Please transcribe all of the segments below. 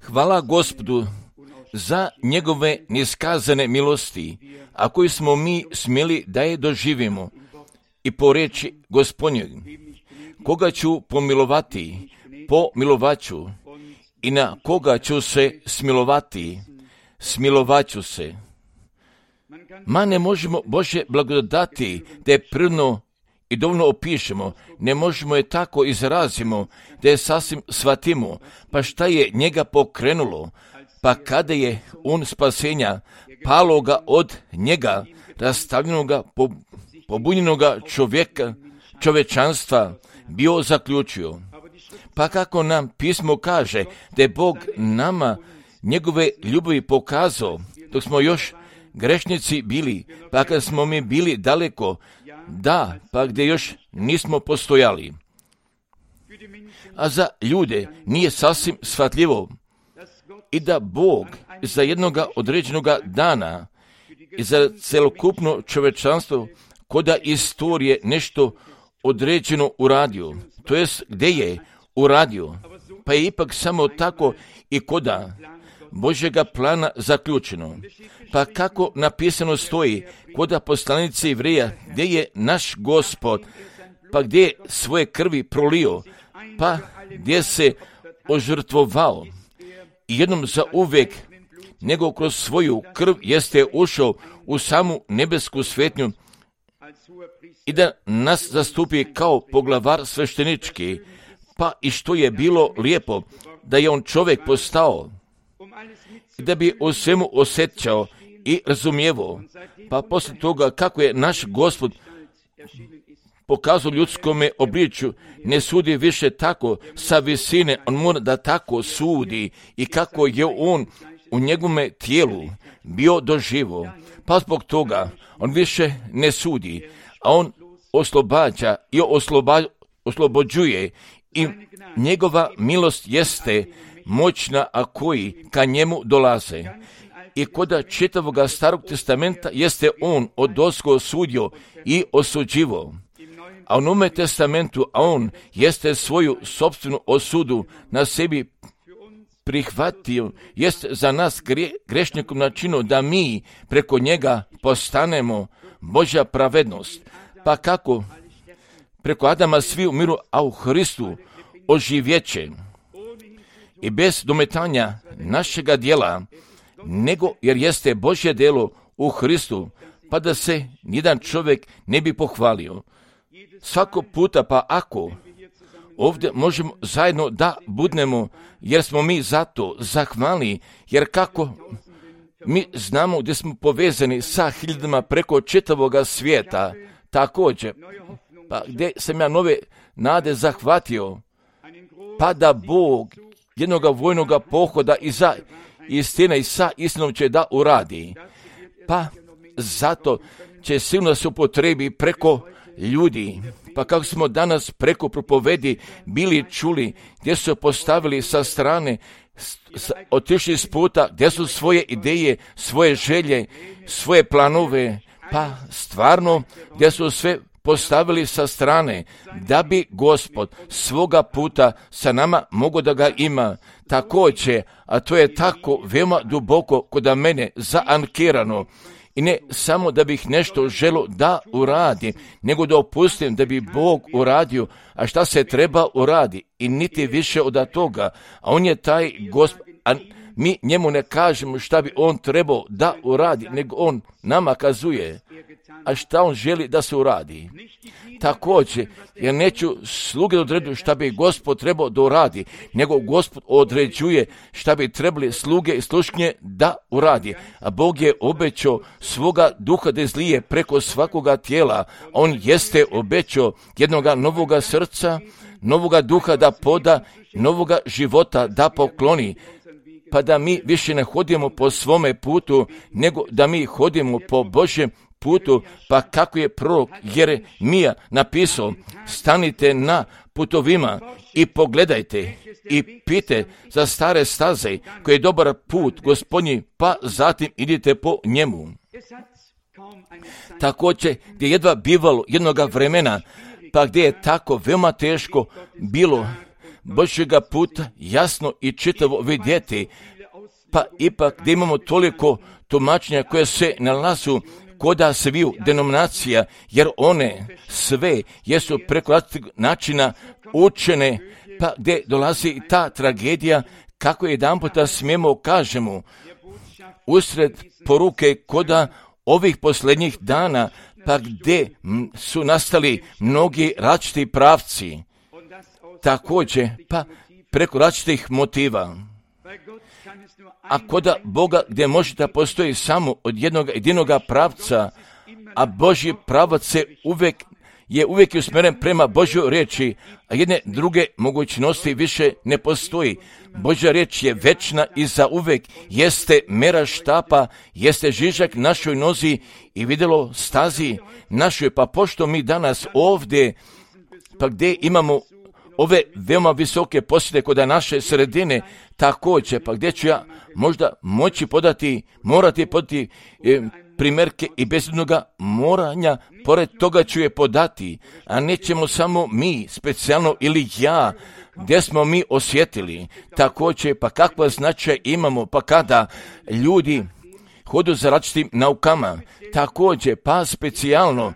Hvala Gospodu za njegove neiskazane milosti, a koji smo mi smjeli da je doživimo. I po riječi Gospodnjoj, koga ću pomilovati, pomilovaću, i na koga ću se smilovati, smilovaću se. Ne možemo Božje blagodati da je prirodno i dovoljno opišemo, ne možemo je tako izrazimo, da je sasvim shvatimo. Pa šta je njega pokrenulo? Pa kada je on spasenja paloga od njega, rastavljenoga, pobunjenoga čovečanstva bio zaključio. Pa kako nam pismo kaže da je Bog nama njegove ljubavi pokazao dok smo još grešnici bili, pa kad smo mi bili daleko, da, pa gdje još nismo postojali. A za ljude nije sasvim shvatljivo i da Bog za jednoga određenoga dana i za celokupno čovečanstvo koda istorije nešto određeno uradio, to jest gdje je uradio, pa je ipak samo tako i koda Božjega plana zaključeno. Pa kako napisano stoji koda poslanice Jevreja, gdje je naš Gospod, pa gdje je svoje krvi prolio, pa gdje se ožrtvovao i jednom za uvijek, nego kroz svoju krv jeste ušao u samu nebesku svetnju i da nas zastupi kao poglavar sveštenički, pa i što je bilo lijepo, da je on čovjek postao, da bi o svemu osjećao i razumijevao. Pa poslije toga kako je naš Gospod pokazao ljudskome obličju, ne sudi više tako sa visine, on mora da tako sudi i kako je on u njegovome tijelu bio doživo. Pa zbog toga on više ne sudi, a on oslobađa i oslobođuje i njegova milost jeste moćna, a koji ka njemu dolaze. I koda čitavoga Starog testamenta jeste on odozgo sudio i osuđivo. A u Novome testamentu, a on jeste svoju sopstvenu osudu na sebi prihvatio, jest za nas grešnikom načinu da mi preko njega postanemo Božja pravednost. Pa kako preko Adama svi umiru, a u Hristu oživjeće. I bez dometanja našega djela, nego jer jeste Božje djelo u Hristu, pa da se nijedan čovjek ne bi pohvalio. Svako puta, pa ako ovdje možemo zajedno da budnemo, jer smo mi zato zahvalni, jer kako mi znamo gdje smo povezani sa hiljadama preko čitavoga svijeta, također, pa gdje sam ja nove nade zahvatio, pa da Bog jednoga vojnoga pohoda iza istine i sa istinom će da uradi. Pa zato će silno se upotrebi preko ljudi. Pa kako smo danas preko propovedi bili čuli, gdje su postavili sa strane, otišli s puta, gdje su svoje ideje, svoje želje, svoje planove, pa stvarno gdje su sve postavili sa strane, da bi Gospod svoga puta sa nama mogao da ga ima. Također, a to je tako veoma duboko kod mene zaankirano, i ne samo da bih nešto želio da uradim, nego da opustim da bi Bog uradio, a šta se treba uradi, i niti više od toga. A on je taj Gospod, a mi njemu ne kažemo šta bi on trebao da uradi, nego on nama kazuje, a šta on želi da se uradi. Također, ja neću sluge odredu šta bi Gospod trebao da uradi, nego Gospod određuje šta bi trebali sluge i slušnje da uradi. A Bog je obećao svoga duha da izlije preko svakoga tijela. On jeste obećao jednoga novoga srca, novoga duha da poda, novoga života da pokloni. Pa da mi više ne hodimo po svome putu, nego da mi hodimo po Božjem putu, pa kako je prorok Jeremija napisao, stanite na putovima i pogledajte i pite za stare staze koji je dobar put Gospodnji, pa zatim idite po njemu. Također gdje jedva bivalo jednoga vremena, pa gdje je tako veoma teško bilo, Božjega puta jasno i čitavo vidjeti, pa ipak da imamo toliko tumačenja koje se nalazu koda sviju denominacija, jer one sve jesu preko različitih načina učene, pa gdje dolazi ta tragedija, kako jedan puta smijemo kažemo, usred poruke koda ovih posljednjih dana, pa gdje su nastali mnogi različiti pravci, također pa preko različitih motiva. A koda Boga gdje može da postoji samo od jedinoga pravca, a Božji pravac se uvijek usmjeren prema Božjoj riječi, a jedne druge mogućnosti više ne postoji. Božja riječ je večna i za uvijek, jeste mera štapa, jeste žižak našoj nozi i vidjelo stazi našoj, pa pošto mi danas ovdje, pa gdje imamo ove veoma visoke posjede kod naše sredine, također, pa gdje ću ja možda morati podati primjerke i bez jednoga moranja, pored toga ću je podati, a nećemo samo mi, specijalno ili ja, gdje smo mi osjetili, također, pa kakva značaj imamo, pa kada ljudi hodu za različitim naukama, također, pa specijalno,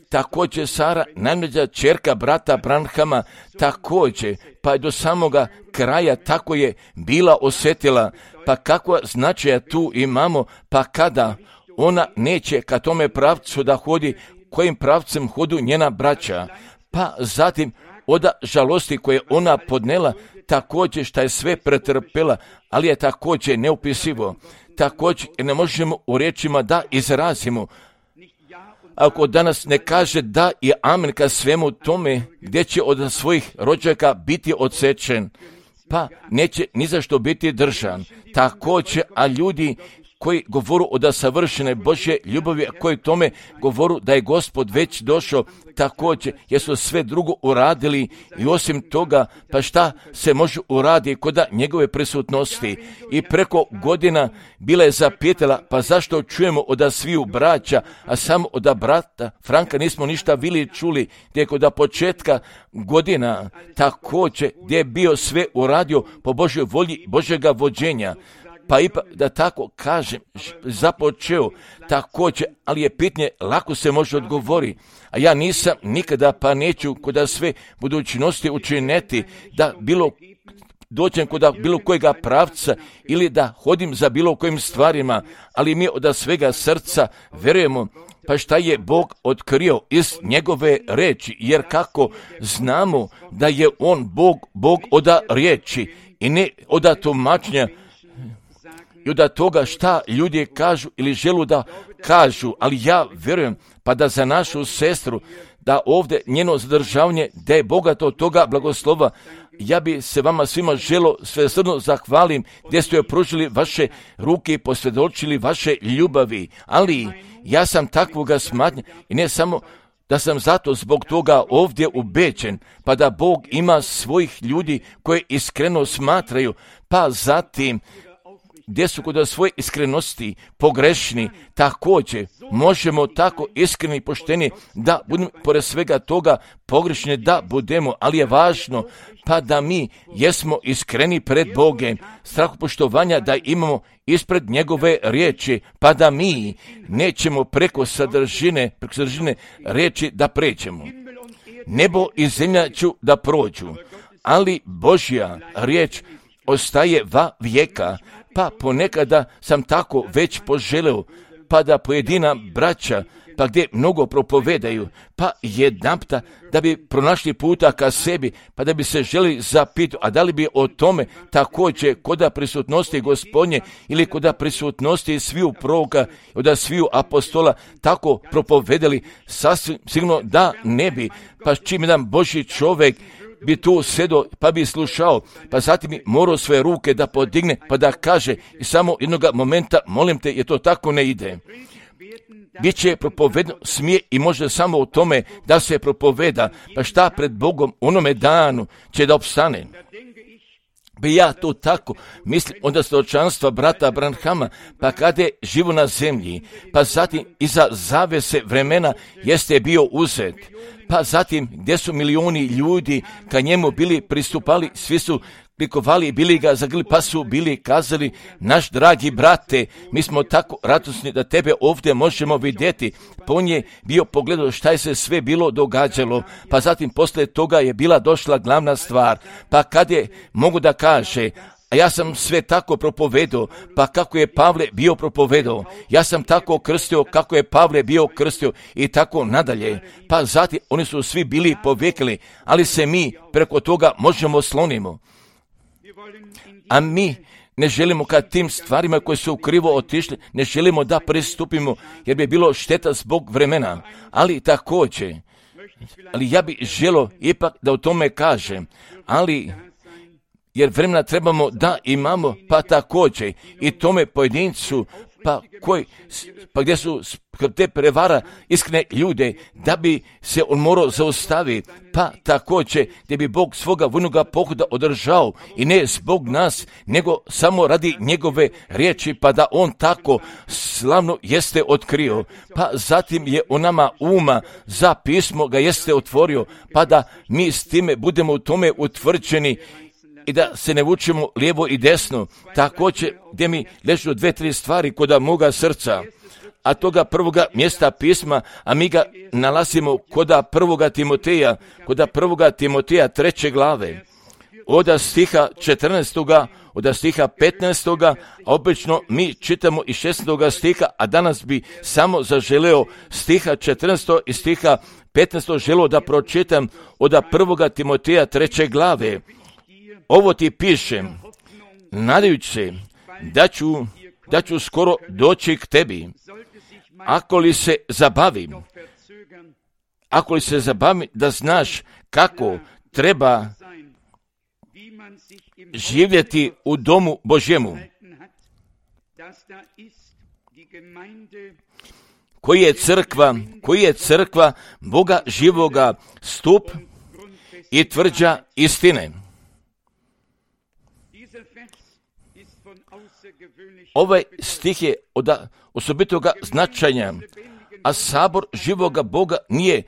također Sara, najmlađa ćerka brata Branhama, također, pa do samoga kraja tako je bila osjetila, pa kakva značaja tu imamo, pa kada ona neće ka tome pravcu da hodi, kojim pravcem hodu njena braća, pa zatim od žalosti koje ona podnela, također šta je sve pretrpela, ali je također neupisivo, također ne možemo u riječima da izrazimo. Ako danas ne kaže da i amen ka svemu tome, gdje će od svojih rođaka biti odsečen, pa neće ni zašto biti držan. Također, a ljudi koji govoru od savršene Božje ljubavi, a koji tome govoru da je Gospod već došao, također, jesu sve drugo uradili i osim toga, pa šta se može uraditi kod njegove prisutnosti. I preko godina bila je zapitala, pa zašto čujemo od sviju braća, a samo od brata Franka nismo ništa bili čuli, gdje kod početka godina, također, gdje je bio sve uradio po Božjoj volji, Božjega vođenja. Pa ipak, da tako kažem, započeo također, ali je pitanje, lako se može odgovori. A ja nisam nikada, pa neću kod sve budućnosti učiniti da dođem kod bilo kojega pravca ili da hodim za bilo kojim stvarima, ali mi od svega srca verujemo, pa šta je Bog otkrio iz njegove reči, jer kako znamo da je on Bog od riječi i ne od tumačenja, i od toga šta ljudi kažu ili želu da kažu, ali ja vjerujem pa da za našu sestru, da ovdje njeno zadržavanje, da je bogato od toga blagoslova, ja bi se vama svima želo svesrdno zahvalim gdje ste joj pružili vaše ruke i posvjedočili vaše ljubavi, ali ja sam takvoga smatnja i ne samo da sam zato zbog toga ovdje ubeđen, pa da Bog ima svojih ljudi koje iskreno smatraju, pa zatim gdje su kod svoje iskrenosti pogrešni, također možemo tako iskreni i pošteni da budemo pored svega toga pogrešni da budemo, ali je važno pa da mi jesmo iskreni pred Bogom, strahopoštovanja da imamo ispred njegove riječi, pa da mi nećemo preko sadržine riječi da pređemo. Nebo i zemlja ću da prođu, ali Božja riječ ostaje va vijeka, pa ponekada sam tako već poželeo, pa da pojedina braća, pa gdje mnogo propovedaju, pa jedanputa da bi pronašli puta ka sebi, pa da bi se želi zapitati, a da li bi o tome također koda prisutnosti Gospodnje ili koda prisutnosti sviju proroka, od sviju apostola tako propovedali, sasvim sigurno da ne bi, pa čim jedan Božji čovjek bi tu sedo, pa bi slušao, pa zatim bi morao svoje ruke da podigne, pa da kaže i samo jednoga momenta, molim te, jer to tako ne ide. Biće propovedno, smije i može samo u tome da se propoveda, pa šta pred Bogom onome danu će da opstane. bi ja to tako mislim onda svjedočanstva brata Branhama, pa kada je živo na zemlji, pa zatim iza zavese vremena jeste bio uzet, pa zatim gdje su milioni ljudi ka njemu bili pristupali, svi su klikovali, bili ga zagrli, pa su bili kazali, naš dragi brate, mi smo tako radosni da tebe ovdje možemo vidjeti. Pa on je bio pogledao šta je se sve bilo događalo, pa zatim poslije toga je bila došla glavna stvar, pa kad je mogu da kaže, a ja sam sve tako propovedao, pa kako je Pavle bio propovedao, ja sam tako krstio kako je Pavle bio krstio i tako nadalje. Pa zatim oni su svi bili povekli, ali se mi preko toga možemo slonimo. A mi ne želimo kad tim stvarima koje su krivo otišli, ne želimo da pristupimo jer bi bilo šteta zbog vremena. Ali također, ja bih želio ipak da o tome kažem, ali jer vremena trebamo da imamo, pa također i tome pojedincu, pa gdje su te prevara iskrene ljude, da bi se on morao zaustaviti, pa također gdje bi Bog svoga vojnoga pohoda održao i ne zbog nas, nego samo radi njegove riječi, pa da on tako slavno jeste otkrio, pa zatim je on nama uma za pismo ga jeste otvorio, pa da mi s time budemo u tome utvrđeni i da se ne vučemo lijevo i desno. Također gdje mi ležu 2-3 stvari koda moga srca, a toga prvoga mjesta pisma, a mi ga nalazimo koda prvoga Timoteja 3. glave, od stiha 14. od stiha 15. a obično mi čitamo i 16. stiha, a danas bi samo zaželeo stiha 14. i stiha 15. želeo da pročitam od prvoga Timoteja 3. glave. Ovo ti pišem, nadajući se da ću skoro doći k tebi. Ako li se zabavim da znaš kako treba živjeti u domu Božjemu, koji je crkva Boga živoga, stup i tvrđa istine. Ovaj stih je od osobitoga značaja, a sabor živoga Boga nije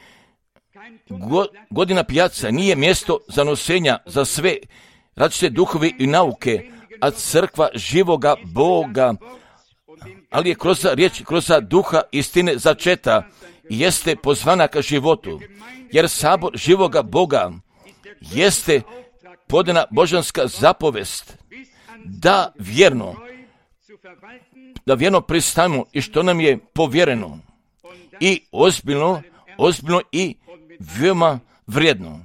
godina pijaca, nije mjesto za nosenja za sve različite duhovi i nauke, a crkva živoga Boga, ali je kroz riječ, kroz duha istine začeta i jeste pozvana ka životu, jer sabor živoga Boga jeste podana božanska zapovest da vjerno pristanemo i što nam je povjereno i ozbiljno i veoma vrijedno.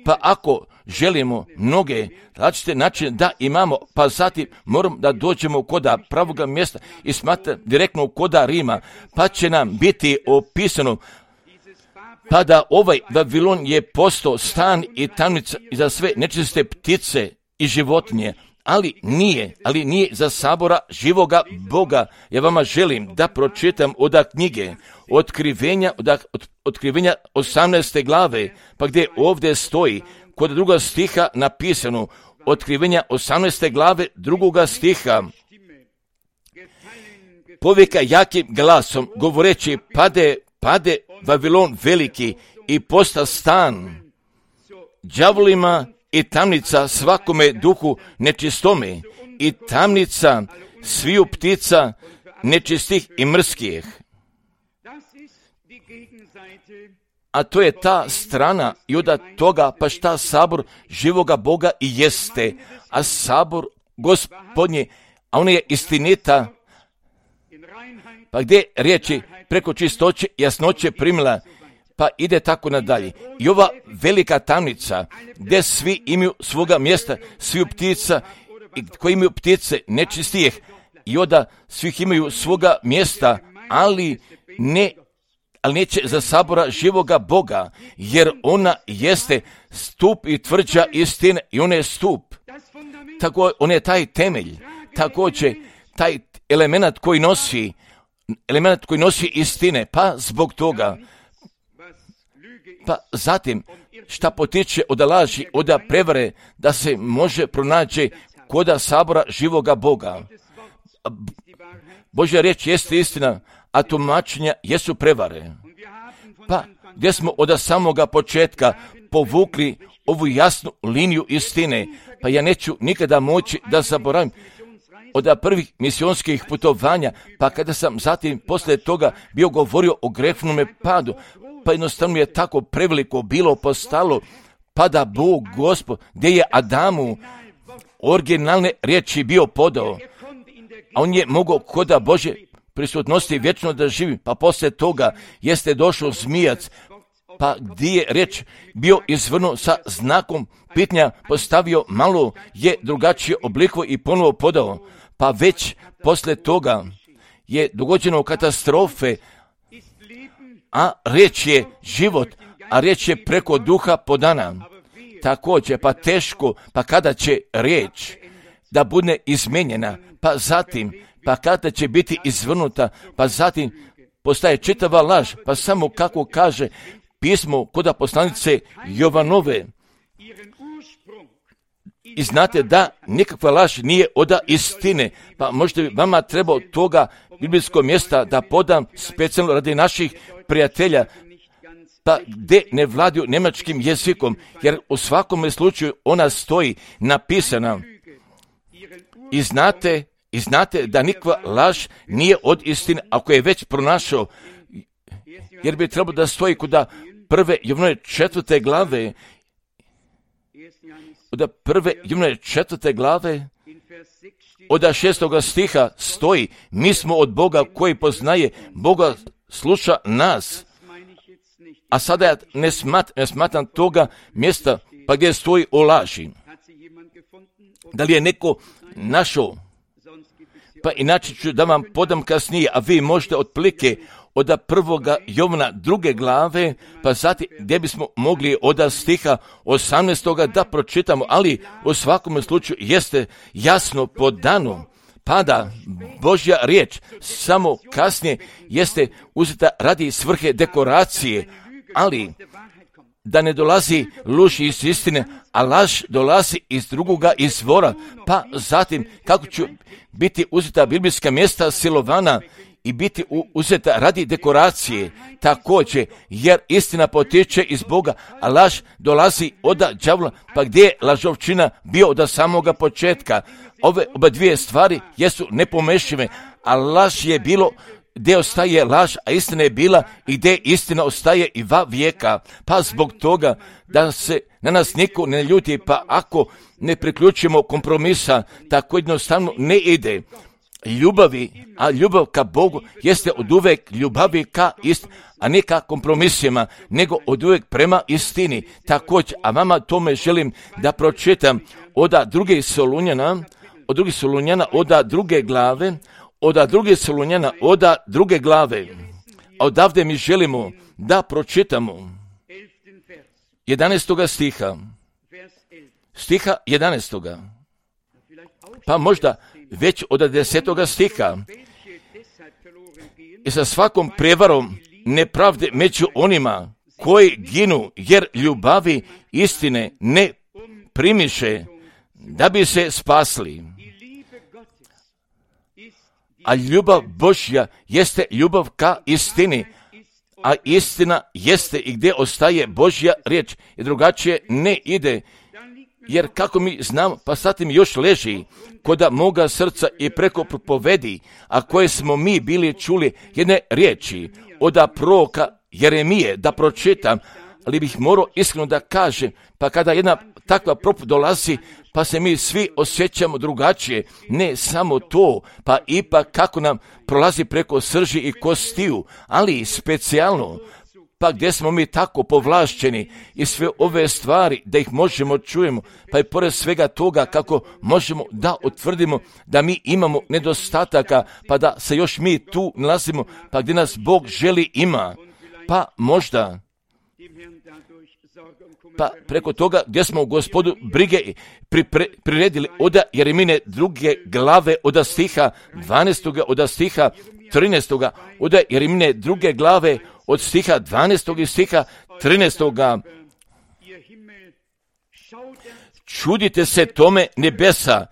Pa ako želimo mnoge različite načine da imamo, pa zatim moramo da dođemo koda pravoga mjesta i smatra direktno koda Rima, pa će nam biti opisano pa da ovaj Vavilon je postao stan i tamnica i za sve nečiste ptice i životinje, ali nije za sabora živoga Boga. Ja vama želim da pročitam od knjige Otkrivenja 18. glave, pa gdje ovdje stoji kod 2. stiha napisano, Otkrivenja 18. glave 2. stiha, povika jakim glasom govoreći, pade Vavilon veliki i posta stan đavolima i tamnica svakome duhu nečistome i tamnica sviju ptica nečistih i mrskih. A to je ta strana i od toga pa šta sabor živoga Boga i jeste, a sabor Gospodnje, a on je istinita, pa gdje riječi preko čistoće, jasnoće primila, pa ide tako nadalje. I ova velika tamnica, gdje svi imaju svoga mjesta, sviju ptica, koji imaju ptice nečistijih, i onda svih imaju svoga mjesta, ali neće za sabora živoga Boga, jer ona jeste stup i tvrđa istine, i ona je stup. Tako, on je taj temelj, također taj element koji nosi istine, pa zbog toga, pa zatim šta potiče od laži, od prevare, da se može pronaći koda sabora živoga Boga. Božja riječ jeste istina, a tumačenja jesu prevare. Pa gdje smo od samoga početka povukli ovu jasnu liniju istine, pa ja neću nikada moći da zaboravim od prvih misionskih putovanja, pa kada sam zatim poslije toga bio govorio o grešnom padu, pa jednostavno je tako preveliko bilo postalo, pa da Bog Gospod, gdje je Adamu originalne riječi bio podao, a on je mogao koda Bože prisutnosti vječno da živi, pa poslije toga jeste došao zmijac, pa gdje je riječ bio izvrnuo sa znakom pitanja, postavio malo je drugačije obliko i ponovo podao, pa već poslije toga je dogođeno katastrofe, a riječ je život, a riječ je preko duha podana. Također, pa teško, pa kada će riječ da bude izmenjena, pa zatim, pa kada će biti izvrnuta, pa zatim postaje čitava laž, pa samo kako kaže pismo kod poslanice Jovanove. I znate da nikakva laž nije od istine, pa možda bi vama trebao toga biblijskog mjesta da podam specijalno radi naših prijatelja, pa gdje ne vladaju njemačkim jezikom, jer u svakom slučaju ona stoji napisana. I znate da nikakva laž nije od istine, ako je već pronašao, jer bi trebalo da stoji kod prve Jovanove 4. glave, od prve Jovanove 4. glave, od 6. stiha stoji, mi smo od Boga koji poznaje, Boga sluša nas. A sada ja ne smatram toga mjesta pa gdje stoji o laži. Da li je neko našao? Pa inače ću da vam podam kasnije, a vi možete otprilike od 1. Jovana 2. glave, pa zatim gdje bismo mogli od stiha 18. da pročitamo, ali u svakom slučaju jeste jasno podano, pa da Božja riječ samo kasnije jeste uzeta radi svrhe dekoracije, ali da ne dolazi luž iz istine, a laž dolazi iz drugoga izvora, pa zatim kako će biti uzeta biblijska mjesta silovana i biti uzeta radi dekoracije, također, jer istina potiče iz Boga, a laž dolazi od đavola, pa gdje je lažovčina bio od samoga početka. Ove oba dvije stvari jesu nepomešive, a laž je bilo gdje ostaje laž, a istina je bila i gdje istina ostaje i va vijeka. Pa zbog toga da se na nas niko ne ljuti, pa ako ne priključimo kompromisa, tako jednostavno ne ide. A ljubav ka Bogu jeste od uvek ljubavi ka istini, a ne ka kompromisima, nego od uvek prema istini. Također, a vama tome želim da pročitam od 2. Solunjana, od 2. glave, od 2. Solunjana, od 2. glave. A odavde mi želimo da pročitamo 11. stiha 11. Pa možda već od 10. stiha. I sa svakom prevarom nepravde među onima koji ginu, jer ljubavi istine ne primiše da bi se spasli. A ljubav Božja jeste ljubav ka istini, a istina jeste i gdje ostaje Božja riječ i drugačije ne ide. Jer kako mi znamo, pa zatim još leži koda moga srca i preko propovedi, a koje smo mi bili čuli jedne riječi od proroka Jeremije, da pročitam, ali bih morao iskreno da kažem, pa kada jedna takva propoved dolazi, pa se mi svi osjećamo drugačije, ne samo to, pa ipak kako nam prolazi preko srži i kostiju, ali specijalno, pa gdje smo mi tako povlašćeni i sve ove stvari da ih možemo čujemo, pa i pored svega toga kako možemo da utvrdimo da mi imamo nedostataka, pa da se još mi tu nalazimo, pa gdje nas Bog želi ima, pa možda pa preko toga gdje smo u Gospodu brige priredili od Jeremine 2. glave od stiha 12. od stiha 13. od Jeremine 2. glave od stiha 12. i stiha 13. Čudite se tome nebesa,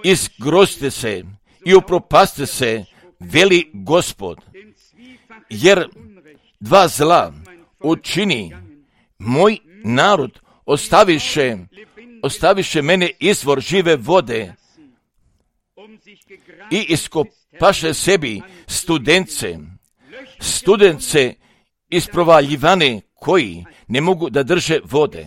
izgrozite se i upropaste se, veli Gospod, jer dva zla učini moj narod, ostaviše mene izvor žive vode i iskopaše sebi studence isprovaljivane koji ne mogu da drže vode.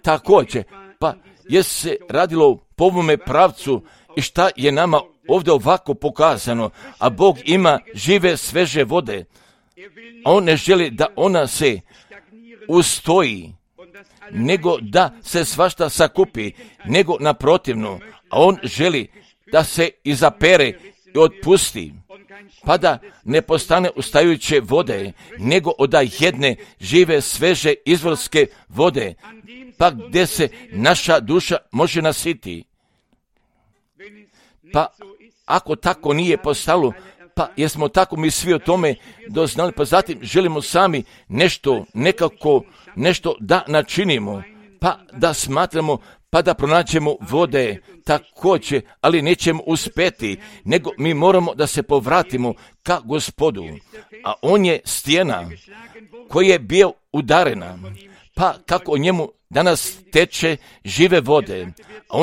Također, pa je se radilo po ovome pravcu i šta je nama ovdje ovako pokazano, a Bog ima žive sveže vode, a On ne želi da ona se ustoji, nego da se svašta sakupi, nego naprotivno, a On želi da se izapere i otpusti, pa da ne postane ustajuće vode, nego od jedne žive, sveže, izvorske vode, pa gdje se naša duša može nasiti. Pa ako tako nije postalo, pa jesmo tako mi svi o tome doznali, pa zatim želimo sami nešto da načinimo, pa da smatramo, pa da pronađemo vode također, ali nećemo uspjeti, nego mi moramo da se povratimo ka Gospodu, a On je stijena koja je bio udarena, pa kako o njemu danas teče žive vode, a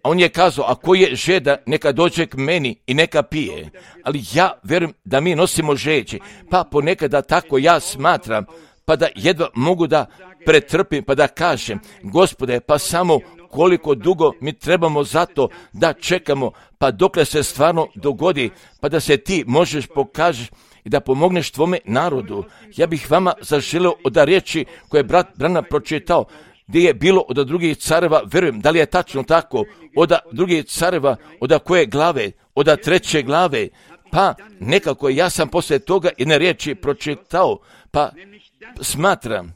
On je kazao, ako je žeda, neka dođe k meni i neka pije. Ali ja vjerujem da mi nosimo žeđe, pa ponekada tako ja smatram, pa da jedva mogu da pretrpim, pa da kažem, Gospode, pa samo koliko dugo mi trebamo za to da čekamo, pa dokle se stvarno dogodi, pa da se ti možeš pokažeš i da pomogneš tvome narodu. Ja bih vama zaželeo od riječi koje je brat Branham pročitao, gdje je bilo od drugih careva, verujem, da li je tačno tako, od drugih careva, od koje glave, od 3. glave, pa nekako ja sam poslije toga jedne riječi pročitao, pa smatram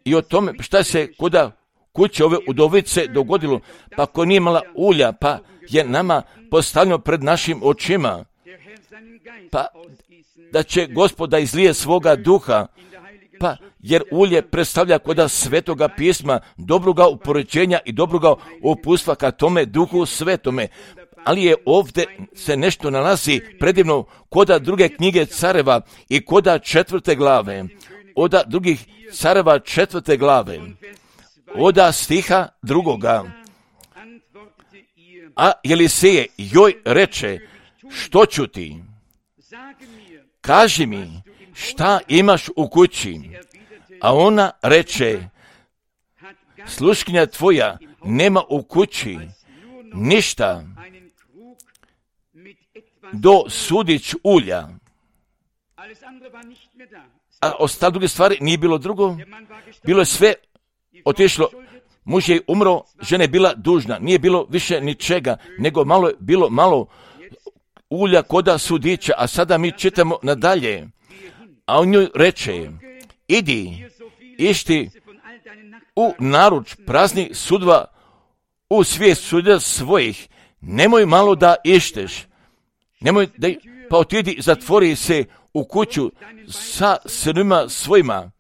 i o tome šta se kod kuće ove udovice dogodilo, pa ko nije imala ulja, pa je nama postavljeno pred našim očima, pa da će Gospod da izlije svoga duha, pa jer ulje predstavlja kod Svetoga pisma, dobroga upoređenja i dobroga uputstva ka tome duhu svetome. Ali je ovdje se nešto nalazi predivno kod druge knjige careva i kod 4. glave, od drugih careva 4. glave, od stiha 2. A Eliseje joj reče, što ću ti? Kaži mi, šta imaš u kući? A ona reče, sluškinja tvoja nema u kući ništa do sudić ulja. A ostale druge stvari nije bilo drugo. Bilo je sve otišlo. Muž je umro, žena je bila dužna. Nije bilo više ničega, nego bilo malo ulja koda sudića. A sada mi čitamo nadalje. A on njoj reče, išti u naruč prazni sudva u svijet suda svojih, nemoj malo da išteš, pa otidi, zatvori se u kuću sa sinima svojima,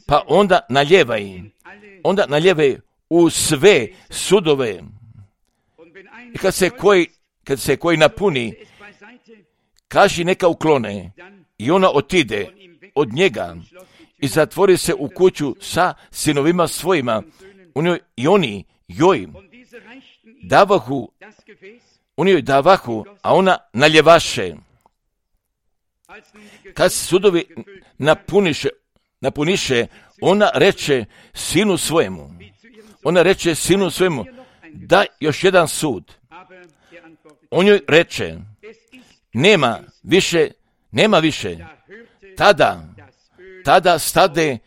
pa onda naljevaj u sve sudove. I kad se koji napuni, kaži neka uklone, i ona otide od njega i zatvori se u kuću sa sinovima svojima. I oni joj davahu, a ona naljevaše. Kad se sudovi napuniše, ona reče sinu svojemu, da još jedan sud. On joj reče, nema više. Tada stade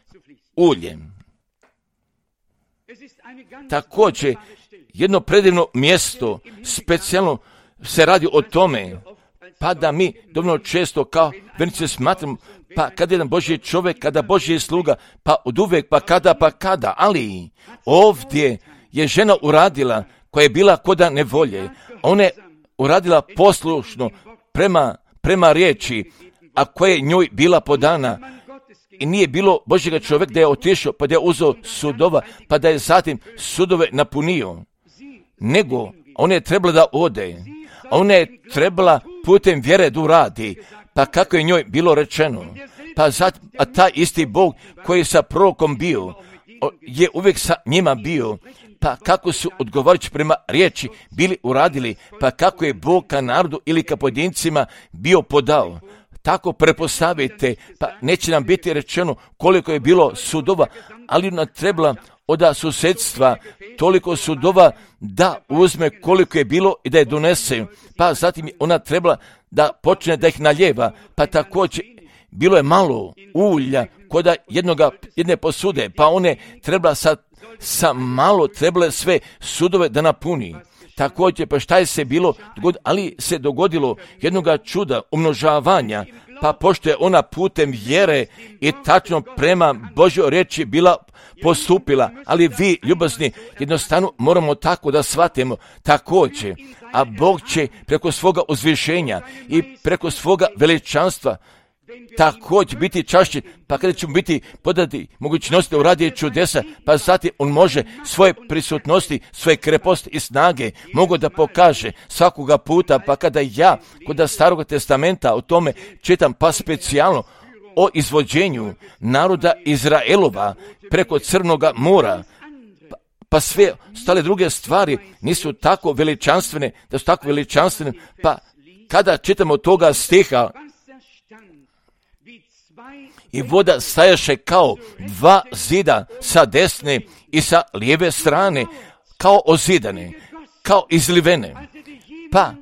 ulje. Također, jedno predivno mjesto, specijalno se radi o tome, pa da mi dovoljno često kao vernici smatramo, pa kada jedan Božji čovjek, kada Božji sluga, pa od uvijek, pa kada, ali ovdje je žena uradila, koja je bila koda nevolje, ona je uradila poslušno prema riječi, a koja je njoj bila podana, I nije bilo Božjega čovjeka da je otišao, pa da je uzeo sudova, pa da je zatim sudove napunio. Nego, ona je trebala da ode. Ona je trebala putem vjere da uradi. Pa kako je njoj bilo rečeno? Pa zatim, a taj isti Bog koji je sa prorokom bio, je uvijek sa njima bio. Pa kako su odgovarajući prema riječi bili uradili, pa kako je Bog ka narodu ili ka pojedincima bio podao. Tako prepostavite, pa neće nam biti rečeno koliko je bilo sudova, ali ona trebala od susjedstva toliko sudova da uzme koliko je bilo i da je donese. Pa zatim ona trebala da počne da ih naljeva, pa također bilo je malo ulja kod jedne posude, pa one trebala sa malo trebale sve sudove da napuni. Također, pa šta je se bilo, ali se dogodilo jednoga čuda, umnožavanja, pa pošto je ona putem vjere i tačno prema Božjoj riječi bila postupila, ali vi, ljubazni, jednostavno moramo tako da shvatimo također, a Bog će preko svoga uzvišenja i preko svoga veličanstva također biti čašćen, pa kada ćemo biti podati mogućnosti da uradi čudesa, pa zatim on može svoje prisutnosti, svoje kreposti i snage mogu da pokaže svakoga puta, pa kada ja kod Starog testamenta o tome čitam, pa specijalno o izvođenju naroda Izraelova preko Crnoga mora, pa sve ostale druge stvari nisu tako veličanstvene, da su tako veličanstvene, pa kada čitamo toga stiha, i voda stajaše kao dva zida sa desne i sa lijeve strane, kao ozidane, kao izlivene. Pa,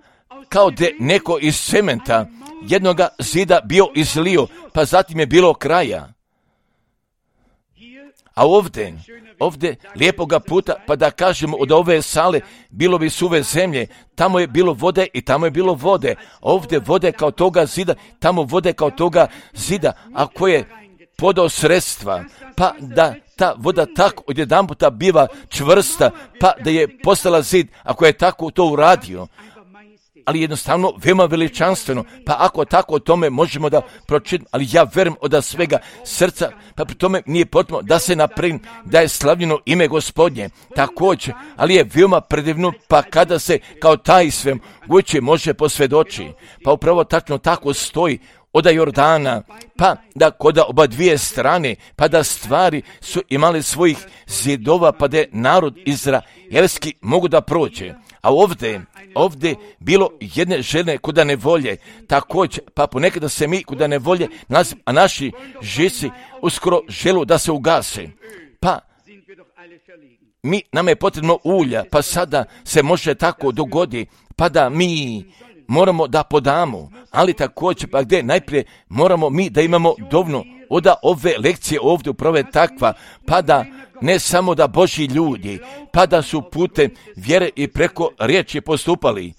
kao da neko iz cementa jednoga zida bio izlio, pa zatim je bilo kraja. A ovdje lijepoga puta, pa da kažemo od ove sale bilo bi suve zemlje, tamo je bilo vode i tamo je bilo vode. Ovdje vode kao toga zida, tamo vode kao toga zida, a koje je podao sredstva, pa da ta voda tako odjedanputa biva čvrsta, pa da je postala zid, ako je tako to uradio. Ali jednostavno veoma veličanstveno, pa ako tako o tome možemo da pročitamo, ali ja verujem od svega srca, pa pri tome nije potrebno da se naprim, da je slavljeno ime Gospodnje, također, ali je veoma predivno, pa kada se kao taj svem uče može posvjedoči, pa upravo tačno tako stoji od Jordana, pa da kod oba dvije strane, pa da stvari su imali svojih zidova, pa da je narod izraelski mogu da prođe. A ovdje bilo jedne žene kuda ne volje, također, pa ponekada se mi kuda ne volje, a naši žici uskoro želu da se ugase. Pa nama je potrebno ulja, pa sada se može tako dogodi, pa da mi moramo da podamo, ali također pa gdje najprije moramo mi da imamo dovoljno od ove lekcije ovdje upravo je takva, pa da ne samo da Božji ljudi, pa da su putem vjere i preko riječi postupali,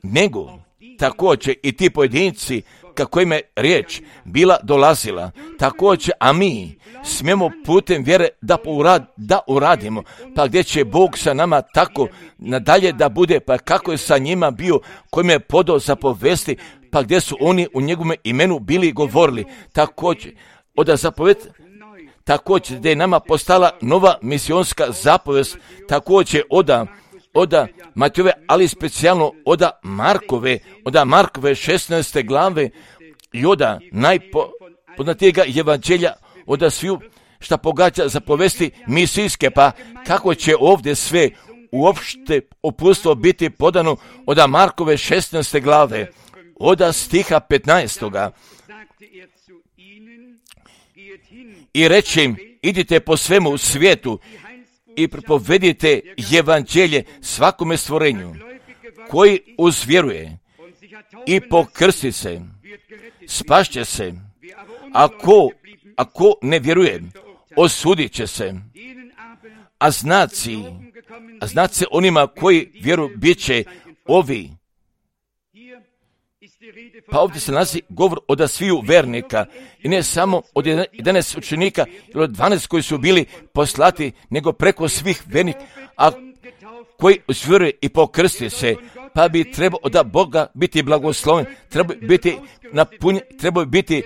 nego također i ti pojedinci kako im je riječ bila dolazila, također, a mi smijemo putem vjere da uradimo, pa gdje će Bog sa nama tako nadalje da bude, pa kako je sa njima bio, kojim je podao zapovesti, pa gdje su oni u njegovom imenu bili govorili, također, također da je nama postala nova misionska zapovest, također od Matejove, ali specijalno od Markove 16. glave i od najpoznatijega evanđelja od sviju šta pogađa zapovesti misijske, pa kako će ovdje sve uopšte uputstvo biti podano od Markove 16. glave, od stiha 15. I reći im, idite po svemu svijetu i propovedite evanđelje svakome stvorenju, koji uzvjeruje i pokrsti se, spašće se, ako ne vjeruje, osudit će se. A znaci onima koji vjeruju bit će ovi. Pa ovdje se nalazi govor od sviju vernika i ne samo od 11 učenika ili od 12 koji su bili poslati, nego preko svih vernika, a koji vjeruje i pokrsti se, pa bi trebao od Boga biti blagosloven, treba biti napunjen, treba biti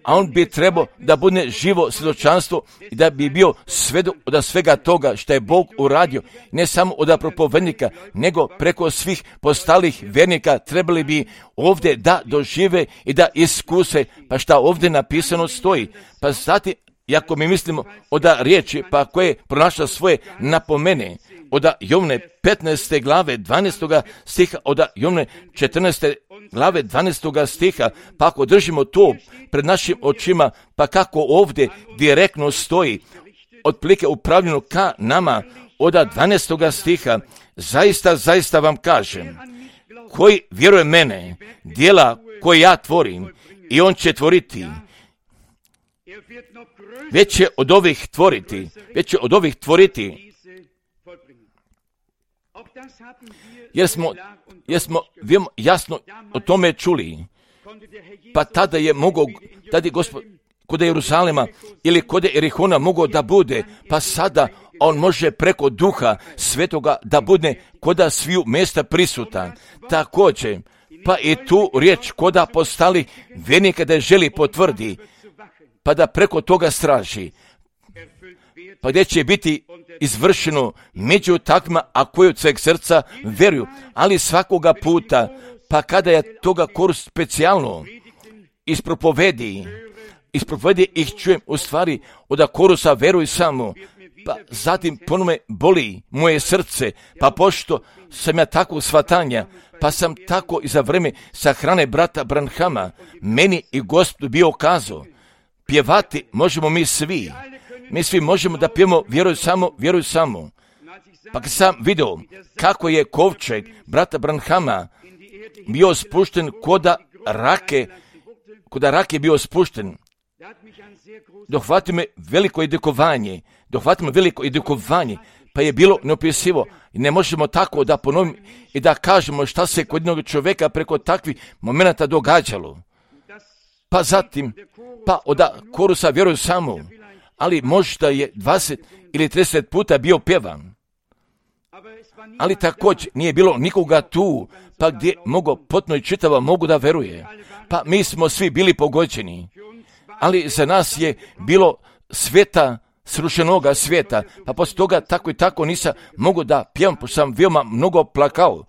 a on bi trebao da bude živo svjedočanstvo i da bi bio svedok od svega toga što je Bog uradio, ne samo od propovednika, nego preko svih postalih vjernika trebali bi ovdje da dožive i da iskuse, pa šta ovdje napisano stoji. Pa zatim, ako mi mislimo od riječi, pa koje pronašla svoje napomene, od Jovne 15. glave 12. stiha, od Jovne 14. glave 12. stiha, pa ako držimo to pred našim očima, pa kako ovdje direktno stoji, otprilike upravljeno ka nama, od 12. stiha, zaista vam kažem, koji vjeruje mene, djela koje ja tvorim, i on će tvoriti, već će od ovih tvoriti, jer smo jasno o tome čuli. Pa tada je Gospod kod Jeruzalema ili kod Erihona mogao da bude, pa sada on može preko Duha Svetoga da bude koda sviju mjesta prisutan. Također, pa i tu riječ koda postali vjernika da je želi potvrdi, pa da preko toga straži, pa gdje će biti izvršeno među takvima, a koji od sveg srca vjeruju, ali svakoga puta, pa kada je toga korist specijalno ispropovedi ih čujem u stvari od korusa vjeruj samo, pa zatim ponome boli moje srce, pa pošto sam ja tako shvatanja, pa sam tako i za vreme sahrane brata Branhama, meni i Gospodu bio kazao, pjevati možemo mi svi možemo da pjevamo vjeruj samo. Pa kad sam vidio kako je kovčeg brata Branhama bio spušten koda rake bio spušten, dohvati me veliko edikovanje, pa je bilo neopisivo. I ne možemo tako da ponovimo i da kažemo šta se kod jednog čovjeka preko takvih momenata događalo. Pa zatim, pa od korusa vjeruju samo, ali možda je 20 ili 30 puta bio pjevan. Ali također nije bilo nikoga tu, pa gdje mogu potpuno i čitava mogu da veruje. Pa mi smo svi bili pogođeni, ali za nas je bilo sveta, srušenoga svijeta, pa poslije toga tako i tako nisam mogu da pjevam, pošto sam veoma mnogo plakao,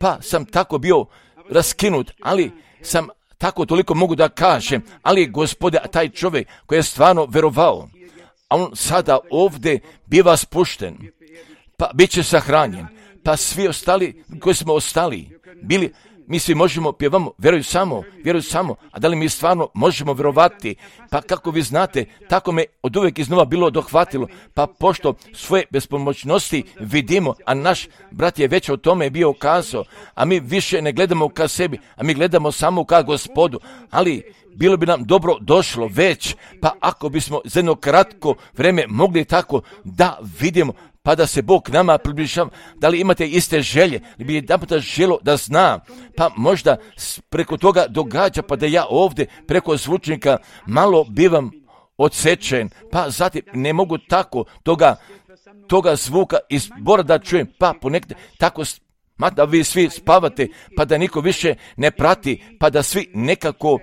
pa sam tako bio raskinut, ali sam tako toliko mogu da kažem, ali Gospode, taj čovjek koji je stvarno verovao, a on sada ovdje biva spušten, pa bit će sahranjen, pa svi ostali koji smo ostali, bili, mi svi možemo pjevamo, vjeruj samo, a da li mi stvarno možemo vjerovati? Pa kako vi znate, tako me od uvijek iznova bilo dohvatilo, pa pošto svoje bespomoćnosti vidimo, a naš brat je već o tome bio kazao, a mi više ne gledamo ka sebi, a mi gledamo samo ka Gospodu, ali bilo bi nam dobro došlo već, pa ako bismo za jedno kratko vrijeme mogli tako da vidimo, pa da se Bog nama približava, da li imate iste želje, da bi jedan puta želo da zna, pa možda preko toga događa, pa da ja ovdje preko zvučnika malo bivam odsečen, pa zatim ne mogu tako toga zvuka iz zbora da čujem, pa ponekad tako da vi svi spavate, pa da niko više ne prati, pa da svi nekako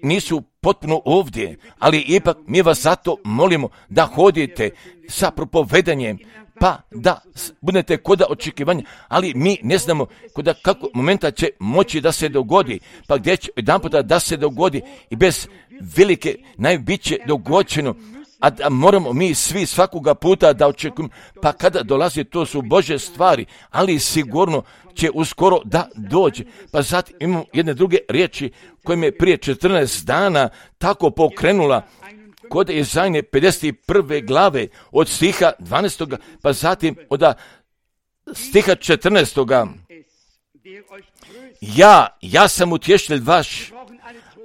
nisu potpuno ovdje, ali ipak mi vas zato molimo da hodite sa propovedanjem, pa da budete koda očekivanja, ali mi ne znamo koda kako momenta će moći da se dogodi, pa gdje će jedan puta da se dogodi i bez velike najbiće dogođeno, a da moramo mi svi svakoga puta da očekujemo, pa kada dolazi to su Božje stvari, ali sigurno će uskoro da dođe. Pa zatim imamo jedne druge riječi koje me prije 14 dana tako pokrenula kod Izajne 51. glave od stiha 12. pa zatim od stiha 14. Ja sam utješitelj vaš.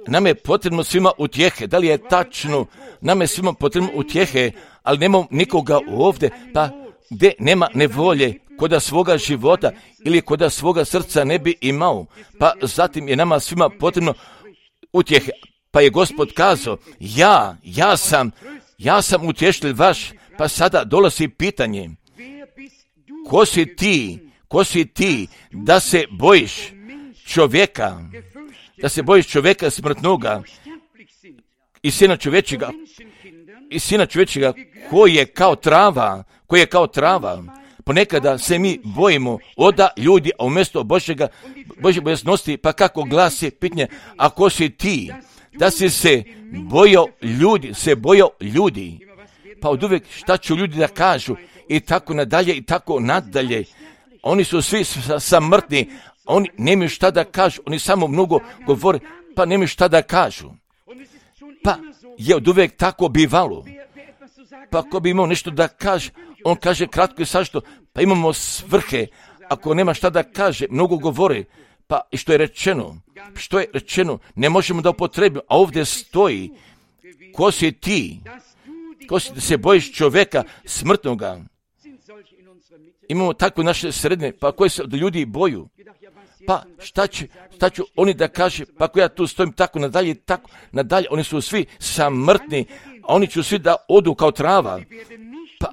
Nam je potrebno svima utjehe. Da li je tačno? Nam je svima potrebno utjehe, ali nemamo nikoga ovdje, pa gdje nema nevolje koda svoga života ili koda svoga srca ne bi imao. Pa zatim je nama svima potrebno utjehe. Pa je Gospod kazao, ja sam utješitelj vaš, pa sada dolazi pitanje, ko si ti da se bojiš čovjeka smrtnoga, i Sina čovječega koji je kao trava, ponekada se mi bojimo oda ljudi, a umjesto Božje bojaznosti, pa kako glasi pitanje, ako si ti, da si se bojao ljudi, pa od uvijek šta ću ljudi da kažu, i tako nadalje, oni su svi samrtni, oni nemaju šta da kažu, oni samo mnogo govore, pa nemaju šta da kažu. Pa je od uvijek tako bivalo. Pa ako bi imao nešto da kaže, on kaže kratko i sašto, pa imamo svrhe, ako nema šta da kaže, mnogo govore, pa i što je rečeno, ne možemo da upotrebimo, a ovdje stoji, ko si ti, ko si da se bojiš čovjeka smrtnoga. Imamo takve naše sredne, pa koje se od ljudi boju. Pa šta ću oni da kaže, pa ako ja tu stojim tako nadalje, oni su svi samrtni, a oni će svi da odu kao trava, pa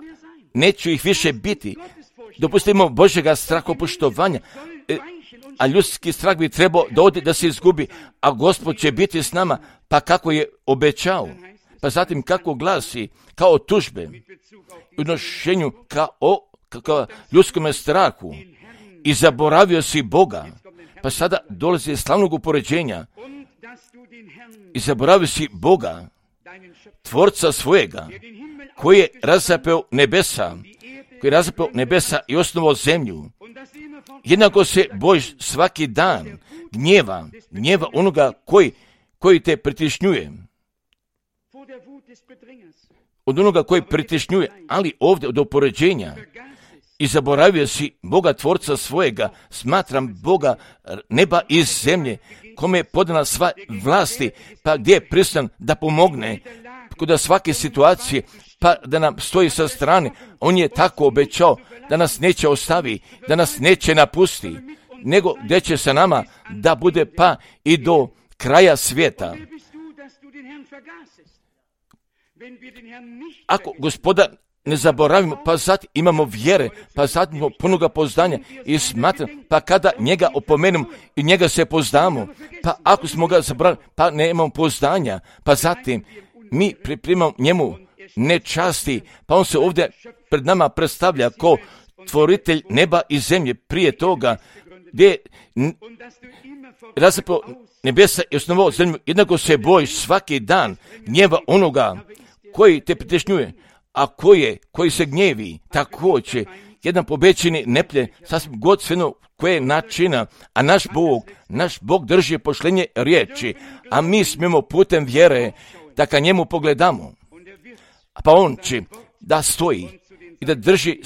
neću ih više biti. Dopustimo Božjega strahopoštovanja, a ljudski strah bi trebao da ode, da se izgubi, a Gospod će biti s nama, pa kako je obećao. Pa zatim kako glasi, kao tužbe, u odnošenju kao ljudskom strahu, i zaboravio si Boga, pa sada dolazi slavnog upoređenja, i zaboravio si Boga, Tvorca svojega, koji je razapeo nebesa i osnovao zemlju. Jednako se bojiš svaki dan gnjeva onoga koji te pritišnjuje. Od onoga koji pritišnjuje, ali ovdje od upoređenja, i zaboravio si Boga Tvorca svojega, smatram Boga neba i zemlje, kome je podana sva vlasti, pa gdje je prisutan da pomogne kod svake situacije, pa da nam stoji sa strane. On je tako obećao da nas neće ostavi, da nas neće napusti, nego gdje će sa nama da bude pa i do kraja svijeta. Ako Gospoda ne zaboravimo, pa zatim imamo vjere, pa zatim imamo punoga poznanja i smatram, pa kada njega opomenemo i njega se poznamo, pa ako smo ga zaboravili, pa nemamo poznanja, pa zatim mi pripremamo njemu nečasti, pa on se ovdje pred nama predstavlja kao tvoritelj neba i zemlje. Prije toga gdje je razapeo nebesa i osnovao zemlju, jednako se bojiš svaki dan gnjeva onoga koji te pritešnjuje, a koji se gnjevi, također jedan pobećeni neplje, sasvim godstveno koje načina, a naš Bog drži pošlenje riječi, a mi smijemo putem vjere da ka njemu pogledamo, pa on će da stoji i da drži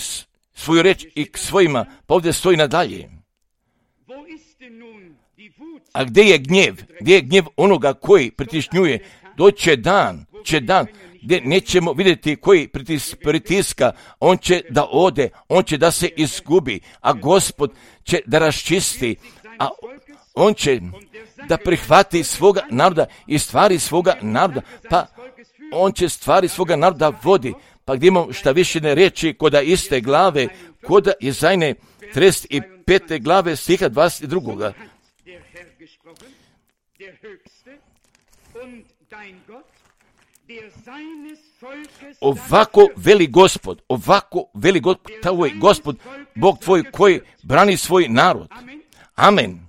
svoju riječ i k svojima, pa ovdje stoji nadalje. A gdje je gnjev onoga koji pritišnjuje? Doće dan gdje nećemo vidjeti koji pritiska, on će da ode, on će da se izgubi, a Gospod će da raščisti, a on će da prihvati svoga naroda i stvari svoga naroda, pa on će stvari svoga naroda vodi, pa gdje imamo šta više ne riječi koda iste glave, koda Jezajne 35. glave stiha 22. Ovako veli Gospod, tvoj Gospod, Bog tvoj koji brani svoj narod. Amen.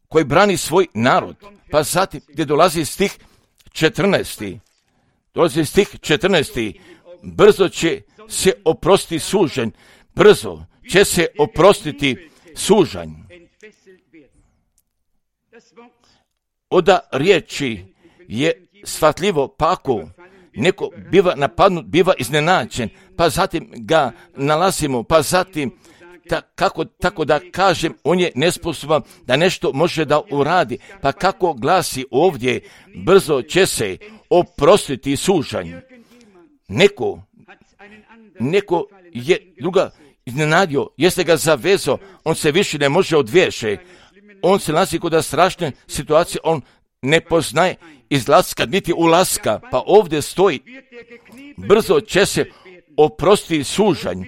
Koji brani svoj narod. Pa zatim gdje dolazi stih 14. Brzo će se oprostiti sužanj. Brzo će se oprostiti sužanj. Oda riječi je shvatljivo, pa ako neko biva napadnut, biva iznenađen, pa zatim ga nalazimo, pa zatim tako da kažem, on je nesposoban da nešto može da uradi, pa kako glasi ovdje, brzo će se oprostiti sužanj. Neko je druga iznenadio, jeste ga zavezao, on se više ne može odviješe, on se nalazi kod strašne situacije, on ne poznaje izlaska niti ulaska, pa ovdje stoji, brzo će se oprostiti sužanj,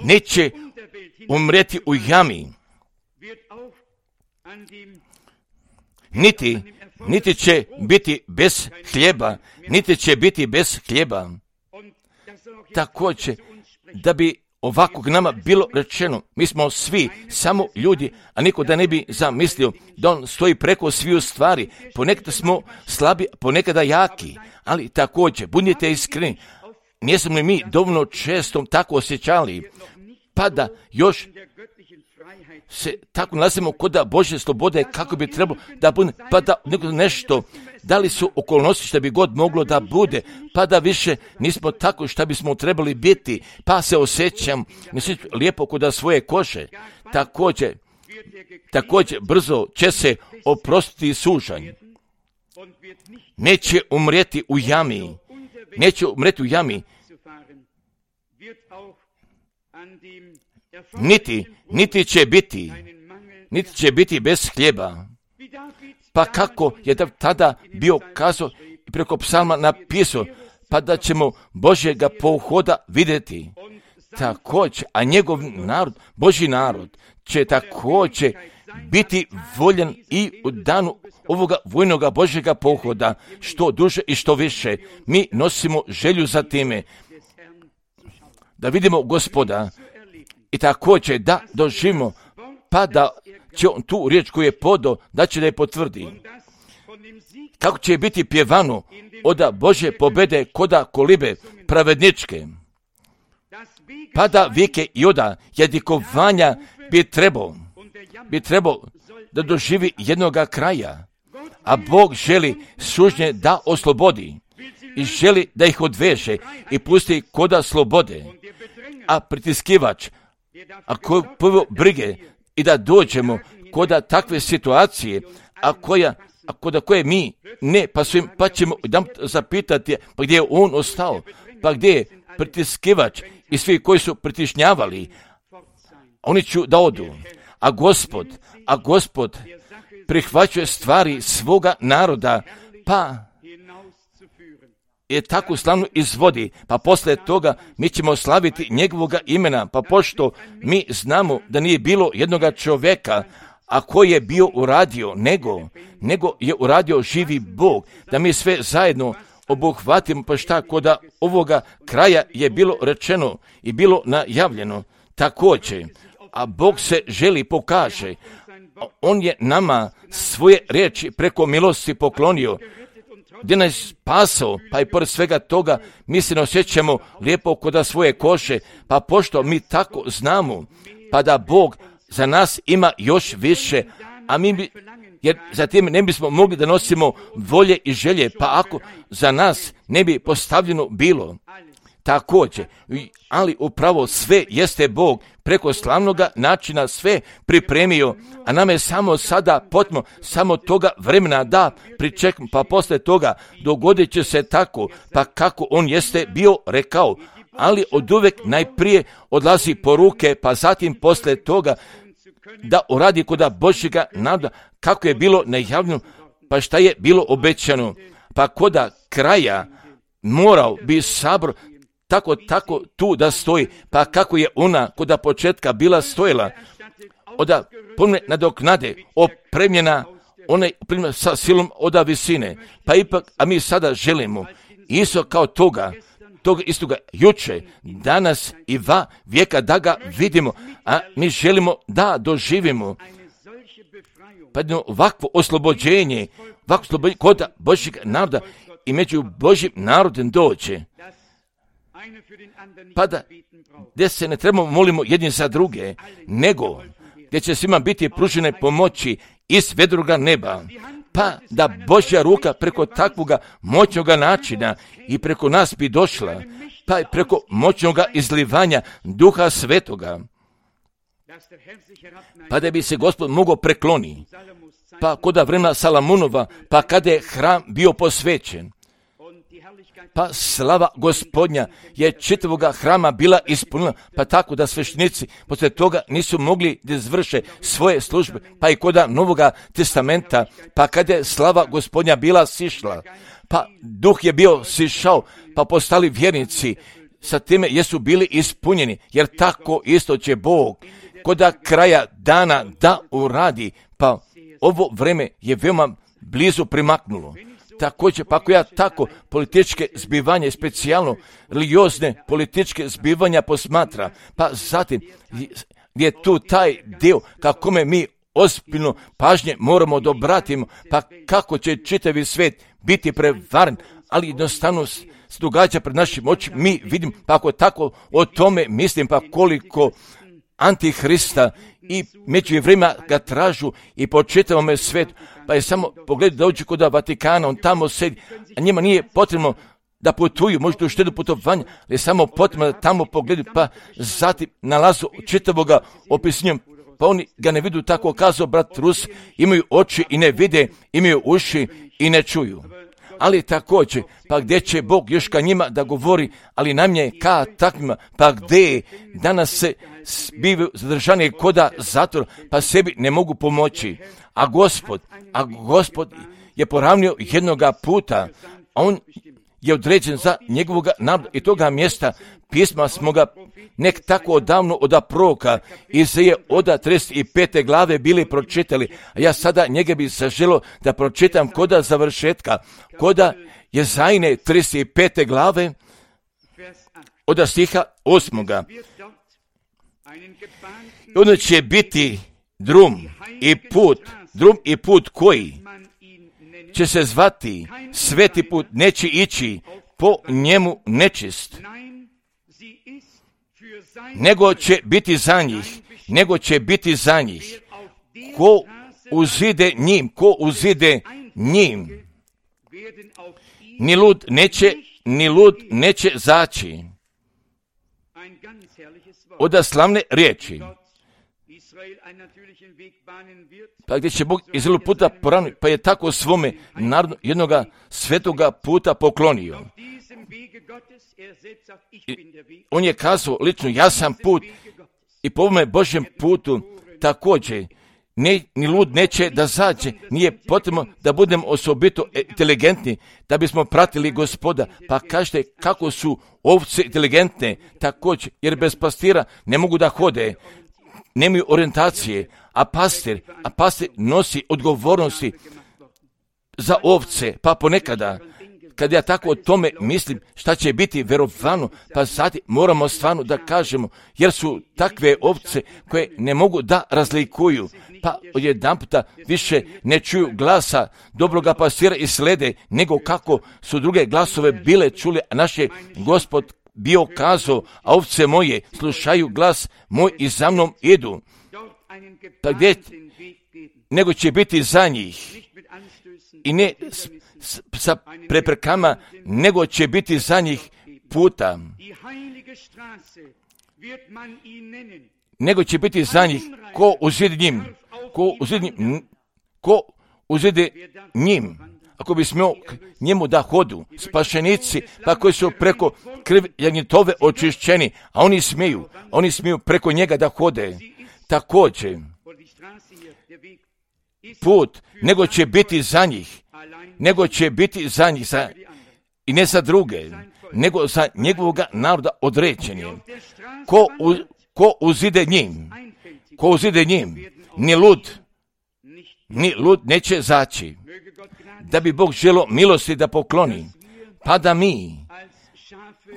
neće umreti u jami, niti će biti bez hljeba, niti će biti bez hljeba. Također, da bi ovako nama bilo rečeno, mi smo svi samo ljudi, a niko da ne bi zamislio da on stoji preko sviju stvari. Ponekada smo slabi, ponekada jaki, ali također, budite iskreni, nismo li mi dovoljno često tako osjećali, pa da još se tako nalazimo kod da Božje slobode kako bi trebalo da bude, pa da nešto, da li su okolnosti što bi god moglo da bude, pa da više nismo tako što bismo trebali biti, pa se osjećam lijepo kod svoje kože. Također brzo će se oprostiti sužanj. Neće umrijeti u jami. Niti će biti bez hljeba. Pa kako je tada bio kazao i preko psalma napisao, pa da ćemo Božjega pohoda vidjeti. Također, a njegov narod, Božji narod, će također biti voljen i u danu ovoga vojnoga Božjega pohoda, što duže i što više. Mi nosimo želju za time da vidimo Gospoda i također da doživimo, pa da će on tu riječ koju je podao, da će da je potvrdi. Kako će biti pjevano oda Božje pobede koda kolibe pravedničke, pa da vike i oda jadikovanja bi trebao da doživi jednoga kraja, a Bog želi sužnje da oslobodi i želi da ih odveže i pusti koda slobode, a pritiskivač, a koji prvo brige i da dođemo koda takve situacije, koda koje mi ne pasujemo, pa ćemo zapitati pa gdje je on ostao, pa gdje je pritiskivač i svi koji su pritišnjavali, oni će da odu. A Gospod prihvaćuje stvari svoga naroda, pa je tako slavno izvodi, pa poslije toga mi ćemo slaviti njegovoga imena, pa pošto mi znamo da nije bilo jednoga čovjeka, a koji je bio uradio, nego je uradio živi Bog, da mi sve zajedno obuhvatimo, pa šta koda ovoga kraja je bilo rečeno i bilo najavljeno. Također, a Bog se želi pokaže, on je nama svoje riječi preko milosti poklonio, gdje nas spasao, pa i pored svega toga mi se ne osjećamo lijepo kod svoje koše, pa pošto mi tako znamo, pa da Bog za nas ima još više, a jer zatim ne bismo mogli da nosimo volje i želje, pa ako za nas ne bi postavljeno bilo. Također, ali upravo sve jeste Bog preko slavnoga načina sve pripremio, a nam je samo sada potrebno samo toga vremena da pričekamo, pa poslije toga dogodit će se tako, pa kako on jeste bio rekao, ali oduvek najprije odlazi poruke, pa zatim poslije toga da uradi koda Božjega naroda kako je bilo najavljeno, pa šta je bilo obećano, pa koda kraja morao bi sabor tako tu da stoji, pa kako je ona koda početka bila stojila, oda pomne nadoknade, opremljena, ona je opremljena sa silom oda visine, pa ipak, a mi sada želimo, isto kao toga istoga juče, danas i vijeka da ga vidimo, a mi želimo da doživimo, pa jedno ovakvo oslobođenje kod Božjeg naroda i među Božjim narodom dođe, pa da gdje se ne trebamo molimo jedni za druge, nego gdje će svima biti pružene pomoći iz vedroga neba, pa da Božja ruka preko takvoga moćnoga načina i preko nas bi došla, pa i preko moćnoga izlivanja Duha Svetoga, pa da bi se Gospod mogao prekloni, pa koda vremena Salamunova, pa kada je hram bio posvećen, pa slava Gospodnja je čitavoga hrama bila ispunila, pa tako da sveštenici poslije toga nisu mogli da izvrše svoje službe, pa i koda Novoga testamenta, pa kada je slava Gospodnja bila sišla, pa duh je bio sišao, pa postali vjernici, sa time jesu bili ispunjeni, jer tako isto će Bog koda kraja dana da uradi, pa ovo vreme je veoma blizu primaknulo. Također, pa ako ja tako političke zbivanja, specijalno religiozne političke zbivanja posmatra, pa zatim je tu taj dio kako mi ozbiljno pažnje moramo da obratimo, pa kako će čitavi svijet biti prevaren, ali jednostavno se događa pred našim očima, mi vidimo, pa ako tako o tome mislim, pa koliko Antihrista i među vremena ga tražu i po čitavom svijetu, pa je samo pogled da uđe kod Vatikana, on tamo sedi, a njima nije potrebno da putuju, možda uštedu putovanja, ali je samo potrebno da tamo pogledaju, pa zatim nalazu čitavoga opisnjom, pa oni ga ne vidu, tako kazao brat Rus, imaju oči i ne vide, imaju uši i ne čuju. Ali također, pa gdje će Bog još ka njima da govori, ali nam je ka takvima, pa gdje danas se bivaju zadržani koda zatvor, pa sebi ne mogu pomoći. A Gospod je poravnio jednoga puta, a on je određen za njegovog naroda i toga mjesta pisma smo ga nek tako odavno od proroka Izaije od 35. glave bili pročitali, a ja sada njega bi zaželio da pročitam koda završetka, koda Jezajine 35. glave od stiha 8. Onda će biti drum i put koji će se zvati sveti put, neće ići po njemu nečist, nego će biti za njih, ko uzide njim, ni lud neće zaći. Oda slavne riječi, pa gdje će Bog Izraelu puta poravniti, pa je tako svome narodu jednoga svetoga puta poklonio. On je kazao lično, ja sam put i po ovome Božjem putu također ni lud neće da zađe, nije potrebno da budemo osobito inteligentni da bismo pratili Gospoda, pa kažete kako su ovce inteligentne također, jer bez pastira ne mogu da hode, nemaju orijentacije, a pastir nosi odgovornosti za ovce, pa ponekada kad ja tako o tome mislim šta će biti verovano, pa sad moramo stvarno da kažemo, jer su takve ovce koje ne mogu da razlikuju, pa odjedanputa više ne čuju glasa dobroga pastira i slede, nego kako su druge glasove bile čuli, a naš je Gospod bio kazao, a ovce moje slušaju glas moj i za mnom idu. Pa gdje, nego će biti za njih i ne sa preprekama, nego će biti za njih puta. Nego će biti za njih ko uzide njim, ako bi smio njemu da hodu, spašenici, pa koji su preko krvi jagnjetove očišćeni, a oni smiju preko njega da hode. Također, put, nego će biti za njih i ne za druge, nego za njegovoga naroda određen. Ko uzide njim, ni lud neće zaći, da bi Bog želio milosti da pokloni, pa da mi,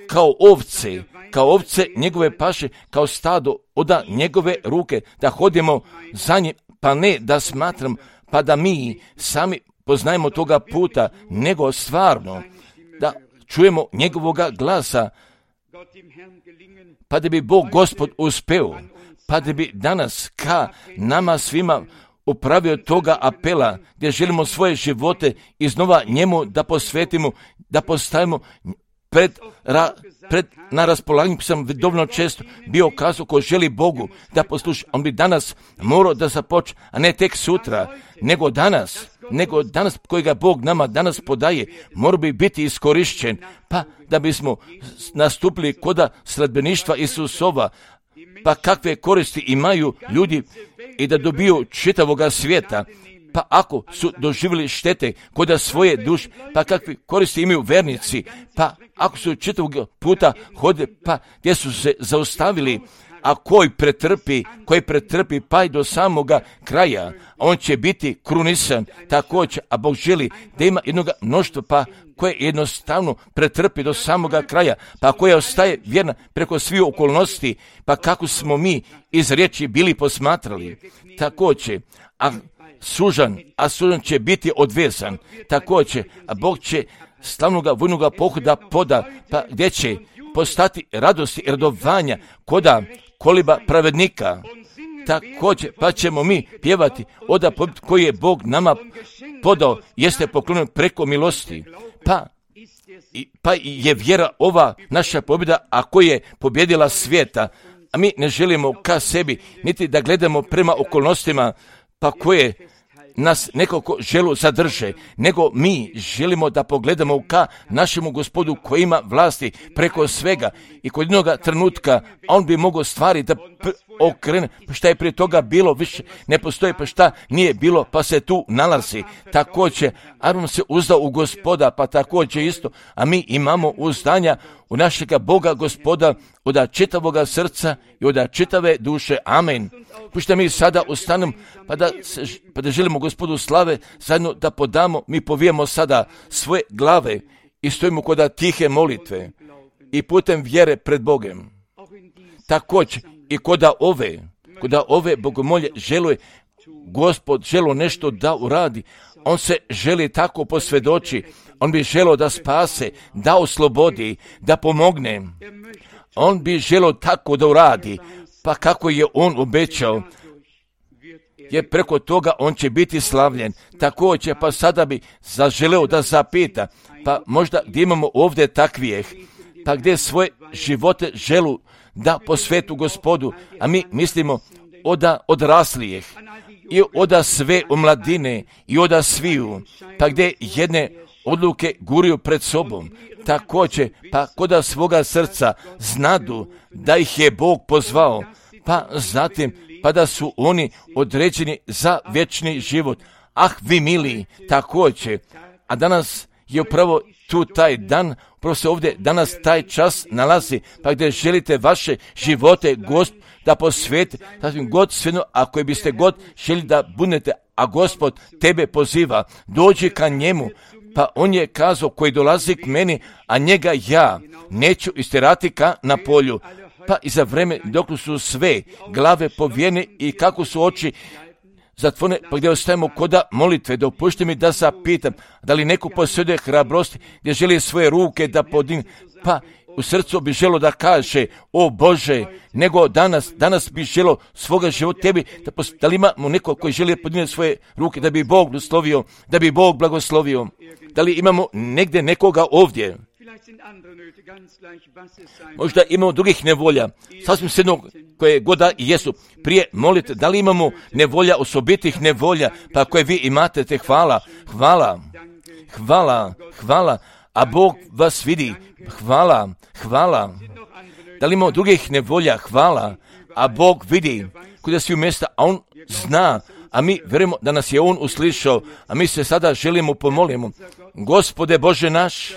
kao ovce njegove paše, kao stado oda njegove ruke, da hodimo za njim, pa ne da smatram, pa da mi sami poznajemo toga puta, nego stvarno da čujemo njegovoga glasa, pa da bi Bog Gospod uspeo, pa da bi danas ka nama svima upravio toga apela, gdje želimo svoje živote iznova njemu da posvetimo, da postavimo na raspolaganju. Sam dovoljno često bio kazao, ko želi Bogu da posluša, on bi danas morao da započne, a ne tek sutra, nego danas kojega Bog nama danas podaje, mora bi biti iskorišćen, pa da bismo nastupili koda sledbeništva Isusova, pa kakve koristi imaju ljudi i da dobiju čitavoga svijeta, pa ako su doživjeli štete koda svoje duše, pa kakve koristi imaju vernici, pa ako su čitavog puta hode, pa gdje su se zaustavili, a koji pretrpi pa i do samoga kraja, on će biti krunisan također, a Bog želi da ima jednog mnoštva pa koje jednostavno pretrpi do samoga kraja, pa koja ostaje vjerna preko svih okolnosti, pa kako smo mi iz riječi bili posmatrali. Također, a sužan će biti odvezan, također, a Bog će slavnoga vojnoga pohoda poda, pa gdje će postati radosti i radovanja koda koliba pravednika. Također, pa ćemo mi pjevati oda koji je Bog nama podao, jeste poklonjen preko milosti. Pa je vjera ova naša pobjeda, a koja je pobjedila svijeta. A mi ne želimo ka sebi, niti da gledamo prema okolnostima, pa koje nas nekako želu zadrže, nego mi želimo da pogledamo ka našemu Gospodu koji ima vlasti preko svega i kod jednoga trenutka on bi mogao stvari da okrene, pa šta je prije toga bilo, više ne postoji, pa šta nije bilo, pa se tu nalazi. Također, Aron se uzdao u Gospoda, pa također isto, a mi imamo uzdanja u našega Boga Gospoda od čitavoga srca i od čitave duše. Amen. Pušta mi sada ustanemo, pa da želimo Gospodu slave, zajedno da podamo, mi povijemo sada svoje glave i stojimo kod tihe molitve i putem vjere pred Bogem. Također i kod ove bogomolje želuje Gospod želo nešto da uradi. On se želi tako posvjedoči. On bi želio da spase, da oslobodi, da pomogne. On bi želio tako da uradi. Pa kako je on obećao, jer preko toga on će biti slavljen. Također, pa sada bi zaželeo da zapita, pa možda gdje imamo ovdje takvijeh, pa gdje svoje živote želu da posvetu Gospodu, a mi mislimo oda odraslijeh i oda sve omladine i oda sviju, pa gdje jedne odluke guriju pred sobom. Također, pa koda svoga srca znadu da ih je Bog pozvao, pa zatim, pa da su oni određeni za vječni život. Ah, vi mili, također, a danas je upravo tu taj dan, upravo se ovdje danas taj čas nalazi, pa gdje želite vaše živote Gospod da posvetite, sasvim god svejedno, ako biste god želi da budete, a Gospod tebe poziva, dođi ka njemu, pa on je kazao koji dolazi k meni, a njega ja neću istirati ka na polju. Pa i za vreme dok su sve glave povijene i kako su oči zatvorene, pa gdje ostajemo koda molitve, dopušti mi da zapitam, da li neko posjeduje hrabrosti, gdje želi svoje ruke da podigne, pa u srcu bi želo da kaže, o Bože, nego danas bi želo svoga života tebi, da li imamo neko koji želi podigne svoje ruke, da bi Bog blagoslovio, da li imamo negdje nekoga ovdje, možda imamo drugih nevolja, sasvim svejedno koje god da jesu, prije molite, da li imamo nevolja, osobitih nevolja, pa koje vi imate, te hvala, a Bog vas vidi, hvala, da li imamo drugih nevolja, hvala, a Bog vidi kuda svi u mjesta, a on zna, a mi vjerujemo da nas je on uslišao, a mi se sada želimo pomolimo. Gospode Bože naš,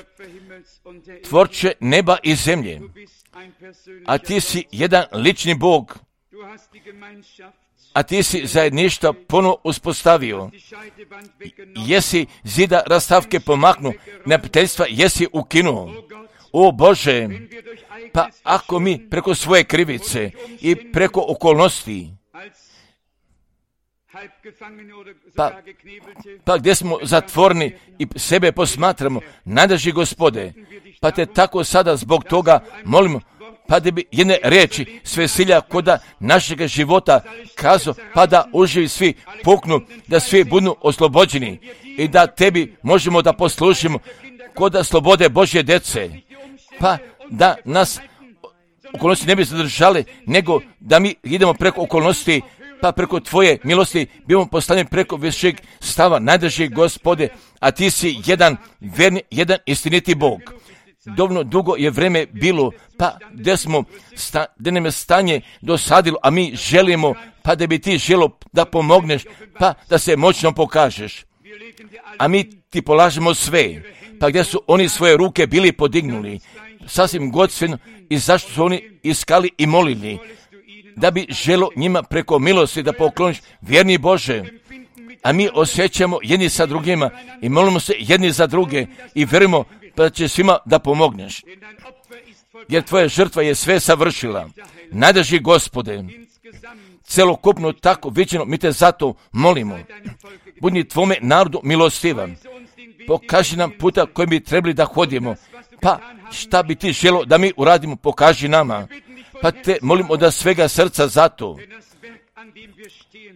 tvorče neba i zemlje, a ti si jedan lični Bog, a ti si zajedništvo ponovo uspostavio, jesi zida rastavke pomaknu, neprijateljstva jesi ukinuo. O Bože, pa ako mi preko svoje krivice i preko okolnosti, pa gdje smo zatvorni i sebe posmatramo, najdraži Gospode, pa te tako sada zbog toga molimo, pa da bi jedne riječi svesilja koda našega života kazao, pa da uživi svi puknu, da svi budu oslobođeni i da tebi možemo da poslušimo koda slobode Božje djece, pa da nas okolnosti ne bi zadržali, nego da mi idemo preko okolnosti, pa preko tvoje milosti bimo postavljeni preko višeg stava, najdraži Gospode, a ti si jedan verni, jedan istiniti Bog. Dovoljno dugo je vreme bilo, pa gdje nam je stanje dosadilo, a mi želimo, pa da bi ti želo da pomogneš, pa da se moćno pokažeš. A mi ti polažemo sve, pa gdje su oni svoje ruke bili podignuli, sasvim godstveno, i zašto su oni iskali i molili, da bi želo njima preko milosti da pokloniš, vjerni Bože. A mi osjećamo jedni sa drugima i molimo se jedni za druge i vjerujemo da će svima da pomogneš. Jer tvoja žrtva je sve savršila. Najdraži Gospode, celokupno tako viđeno, mi te zato molimo. Budi tvome narodu milostivan. Pokaži nam puta kojim bi trebali da hodimo. Pa šta bi ti želo da mi uradimo, pokaži nama. Pa te molimo od svega srca zato.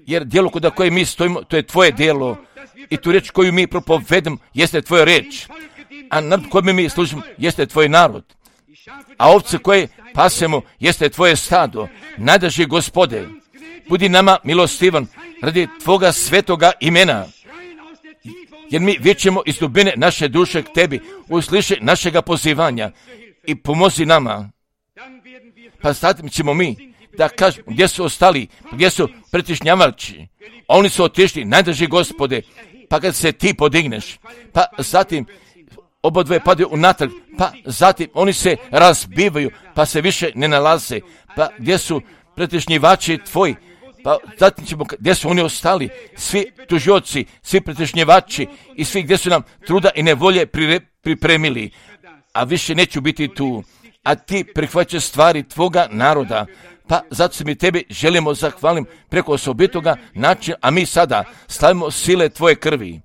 Jer djelo kod koje mi stojimo, to je tvoje djelo. I tu riječ koju mi propovedamo, jeste tvoja riječ. A narod kojem mi služimo, jeste tvoj narod. A ovce koje pasemo, jeste tvoje stado. Najdraži Gospode, budi nama milostivan radi tvoga svetoga imena. Jer mi vičemo iz dubine naše duše k tebi, usliši našega pozivanja i pomozi nama. Pa zatim ćemo mi da kažemo gdje su ostali, gdje su pretišnjavači. Oni su otišli, najdraži Gospode, pa kad se ti podigneš, pa zatim obodvoje padaju unatrag, pa zatim oni se razbivaju, pa se više ne nalaze, pa gdje su pretišnjivači tvoji, pa zatim ćemo, gdje su oni ostali, svi tužioci, svi pretišnjivači i svi gdje su nam truda i nevolje pripremili, a više neću biti tu, a ti prihvaćaš stvari tvoga naroda. Pa zato se mi tebi želimo zahvalim preko osobitoga načina, a mi sada stavimo sile tvoje krvi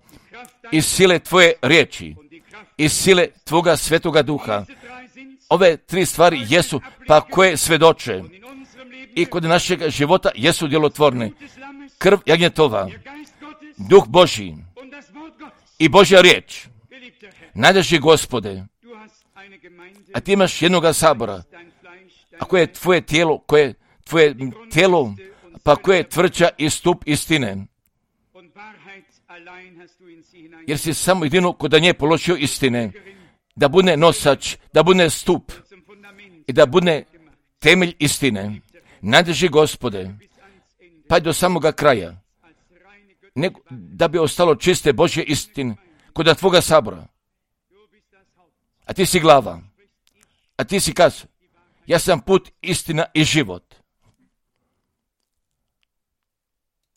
i sile tvoje riječi i sile tvoga svetoga duha. Ove tri stvari jesu, pa koje svedoče i kod našeg života jesu djelotvorne. Krv jagnjetova, duh Božji i Božja riječ. Najdraži Gospode, a ti imaš jednoga sabora, a koje je tvoje tijelo, pa koje je tvrđa i stup istine. Jer si samo jedino kod nje položio istine, da bude nosač, da bude stup i da bude temelj istine. Najdraži Gospode, pa do samoga kraja, nego da bi ostalo čiste Božje istine kod tvoga sabora. A ti si glava, a ti si kaz. Ja sam put, istina i život.